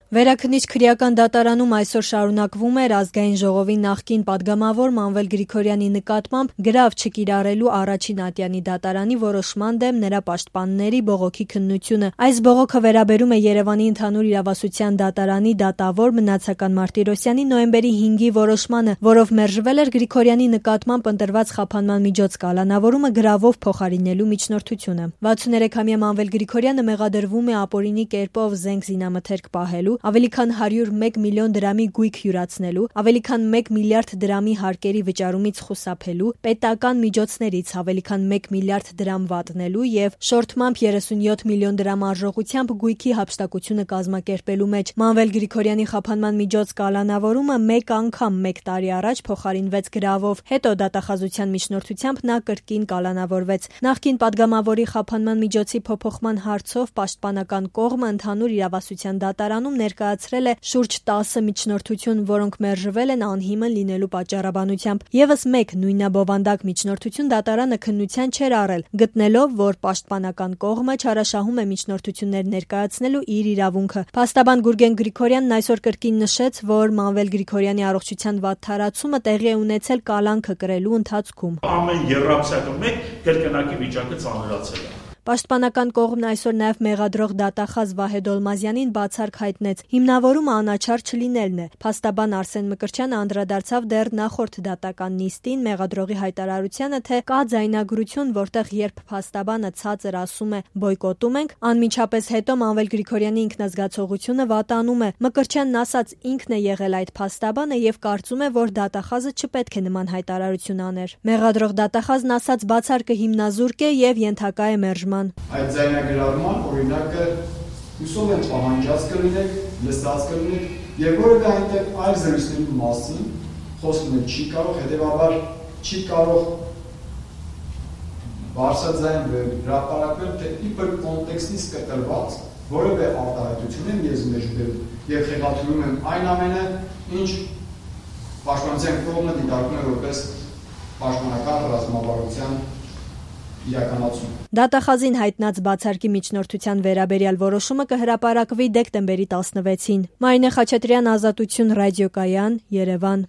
Վերաքննիչ քրեական դատարանում այսօր շարունակվում էր ազգային ժողովի նախկին պատգամավոր Մանվել Գրիգորյանի նկատմամբ գրավ չկիրառելու առաջին ատյանի դատարանի որոշման դեմ նրա պաշտպանների բողոքի քննությունը։ Այս բողոքը վերաբերում է Երևանի ընդհանուր իրավասության դատարանի դատավոր Մնացական Մարտիրոսյանի նոյեմբերի 5-ի որոշմանը, որով մերժվել էր Գրիգորյանի նկատմամբ ընտրված խափանման միջոց կալանավորումը գրավով փոխարինելու միջնորդությունը։ 63-ամյա Մանվել Գրիգորյանը մեղադրվում է ապօրինի կերպով զենք զինամթերք պահելու, ավելի քան 101 միլիոն դրամի գույք յուրացնելու, ավելի քան 1 միլիարդ դրամի հարկերի վճարումից խուսափելու, պետական միջոցներից ավելի քան 1 միլիարդ դրամ վատնելու եւ շորթմամբ 37 միլիոն դրամ արժողությամբ գույքի հափշտակությունը կազմակերպելու մեջ։ Մանվել Գրիգորյանի խափանման միջոց կալանավորումը մեկ անգամ 1 տարի առաջ փոխարինվեց գրավով, հետո դատախազության միջնորդությամբ նա կրկին կալանավորվեց։ Նախկին պատգամավորի խափանման միջոցի փոփոխման հարցով պաշտպանական կողմը ընդհանուր իրավասության դատարանում ներկայացրել է շուրջ 10 միջնորդություն, որոնք մերժվել են անհիմն լինելու պատճառաբանությամբ։ Եվս մեկ նույնաբովանդակ միջնորդություն դատարանը քննության չէր առել, գտնելով, որ պաշտպանական կողմը չարաշահում է միջնորդություններ ներկայացնելու իր իրավունքը։ Փաստաբան Գուրգեն Գրիգորյանն այսօր կրկին նշեց, որ Մանվել Գրիգորյանի առողջության վատթարացումը տեղի է ունեցել կալանքը կրելու ընթացքում։ Ամեն երրամսյակը մեկ կրկնակի վիճակը ծանրացել է։ Պաշտպանական կողմն այսօր նաև մեղադրող դատախազ Վահե Դոլմազյանին բացառք հայտնեց։ Հիմնավորումը անաչառ չլինելն է։ Փաստաբան Արսեն Մկրտչյանը անդրադարձավ դեռ նախորդ դատական նիստին մեղադրողի հայտարարությանը, թե կա ձայնագրություն, որտեղ երբ փաստաբանը ցածր ասում է բոյկոտում ենք, անմիջապես հետո Մանվել Գրիգորյանի ինքնազգացողությունը վատանում է։ Մկրտչյանն ասաց ինքն է եղել այդ փաստաբանը եւ կարծում է, որ դատախազը չպետք է նման հայտարարություն աներ։ Մեղադրող դատախազն ասաց բացարկը հիմնազուրկ է եւ ենթակա է մերժման։ Այդ ձայնագրավորման օրինակը հուսով եմ պահանջած կլինեք, լսած կլինեք եւ որևէ այնտեղ այլ զրույցների մասին խոսքը չի կարող, հետեւաբար չի կարող բարձրաձայն հրապարակվել, թե իբր կոնտեքստից կտրված որևէ արտահայտություն եմ ես մեջբերում եւ խեղաթյուրում եմ այն ամենը, ինչ պաշտպանության կողմը դիտարկում է որպես պաշտպանական ռազմավարության իրականացում։ Դատախազին հայտնած բացարկի միջնորդության վերաբերյալ որոշումը կհրապարակվի դեկտեմբերի 16-ին։ Մարինե Խաչատրյան, Ազատություն ռադիոկայան, Երևան։